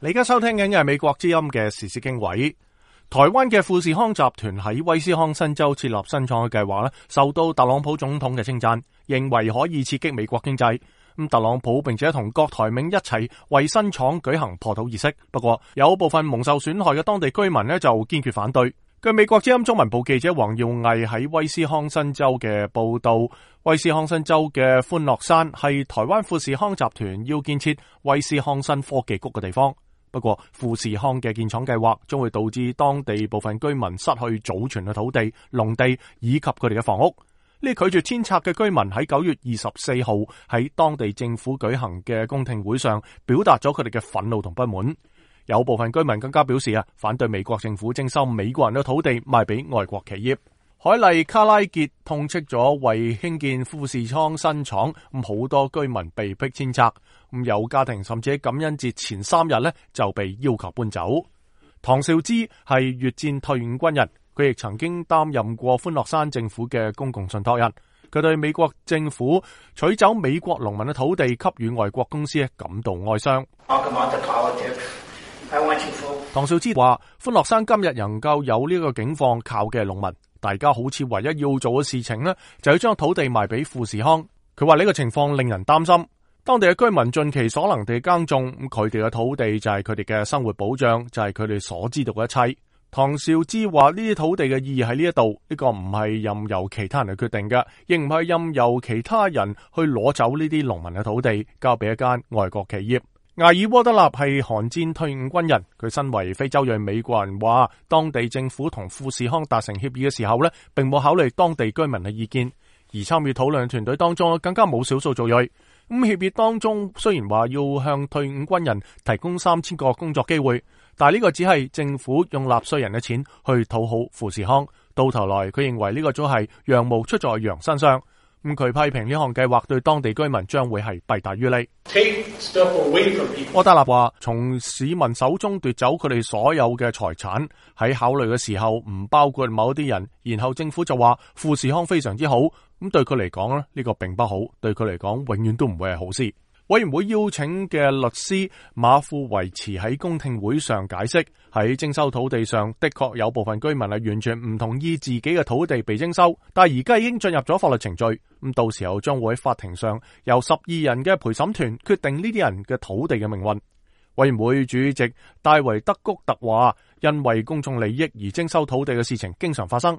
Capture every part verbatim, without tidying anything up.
你而家收聽緊嘅係美國之音嘅時事經緯。台灣嘅富士康集團喺威斯康辛州設立新廠嘅計劃咧，受到特朗普總統嘅稱讚，認為可以刺激美國經濟。咁特朗普並且同郭台銘一齊為新廠舉行破土儀式。不過有部分蒙受損害嘅當地居民咧就堅決反對。據美國之音中文部記者黃耀毅喺威斯康辛州嘅報道，威斯康辛州嘅歡樂山係台灣富士康集團要建設威斯康辛科技谷嘅地方。不過富士康嘅建廠計劃將會導致當地部分居民失去祖傳嘅土地、農地以及佢哋嘅房屋。呢拒絕遷拆嘅居民喺九月二十四號喺當地政府舉行嘅公聽會上表達咗佢哋嘅憤怒同不滿。有部分居民更加表示啊，反對美國政府徵收美國人嘅土地賣俾外國企業。海麗卡拉傑痛斥咗為興建富士康新廠，咁好多居民被迫遷拆，咁有家庭甚至喺感恩節前三日咧就被要求搬走。唐兆之係越戰退伍軍人，佢亦曾經擔任過歡樂山政府嘅公共信託人。佢對美國政府取走美國農民嘅土地給予外國公司感到哀傷。唐兆之話：歡樂山今日能夠有呢個境況，靠嘅係農民。大家好似唯一要做嘅事情呢，就要將土地賣俾富士康。佢話呢個情況令人擔心。當地嘅居民盡其所能地耕種，咁佢哋嘅土地就係佢哋嘅生活保障，就係佢哋所知道嘅一切。唐兆之話呢啲土地嘅意義喺呢一度，呢個唔係任由其他人去決定嘅，亦唔係任由其他人去攞走呢啲農民嘅土地，交俾一間外國企業。艾爾沃德納係韓戰退伍軍人，佢身為非洲裔美國人話，當地政府同富士康達成協議嘅時候咧，並冇考慮當地居民嘅意見，而參與討論團隊當中更加冇少數族裔。咁協議當中雖然話要向退伍軍人提供三千個工作機會，但係呢個只係政府用納稅人嘅錢去討好富士康，到頭來佢認為呢個都係羊毛出在羊身上。咁佢批評呢項計劃對當地居民將會係弊大於利。柯德納話：從市民手中奪走佢哋所有嘅財產，喺考慮嘅時候唔包括某一啲人，然後政府就話富士康非常之好，咁對佢嚟講咧，呢個並不好，對佢嚟講永遠都唔會係好事。委員會邀請嘅律師馬富維茨喺公聽會上解釋，喺徵收土地上的確有部分居民係完全唔同意自己嘅土地被徵收，但係而家已經進入咗法律程序，咁到時候將會喺法庭上由十二人嘅陪審團決定呢啲人嘅土地嘅命運。委員會主席戴維德谷特話，因為公眾利益而徵收土地嘅事情經常發生，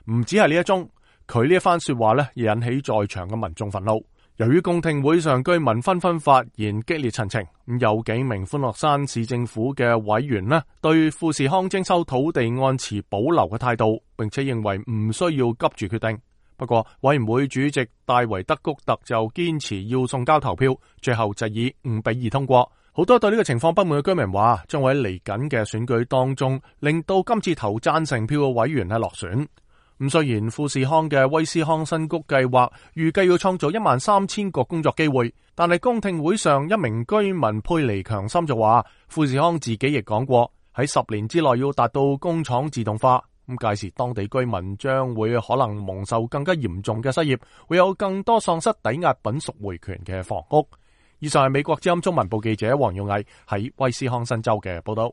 唔止係呢一宗。佢呢一番說話咧，亦引起在場嘅民眾憤怒。由於公聽會上居民紛紛發言激烈陳情，咁有幾名歡樂山市政府嘅委員呢，對富士康徵收土地按持保留嘅態度，並且認為唔需要急住決定。不過委員會主席戴維德谷特就堅持要送交投票，最後就以五比二通過。好多對呢個情況不滿嘅居民話，將會喺嚟緊嘅選舉當中，令到今次投贊成票嘅委員係落選。咁雖然富士康嘅威斯康辛谷計劃預計要創造一萬三千個工作機會，但係公聽會上一名居民佩尼強森就話，富士康自己亦講過喺十年之內要達到工廠自動化，咁屆時當地居民將會可能蒙受更加嚴重嘅失業，會有更多喪失抵押品贖回權嘅房屋。以上係美國之音中文部記者黃耀毅喺威斯康辛州嘅報道。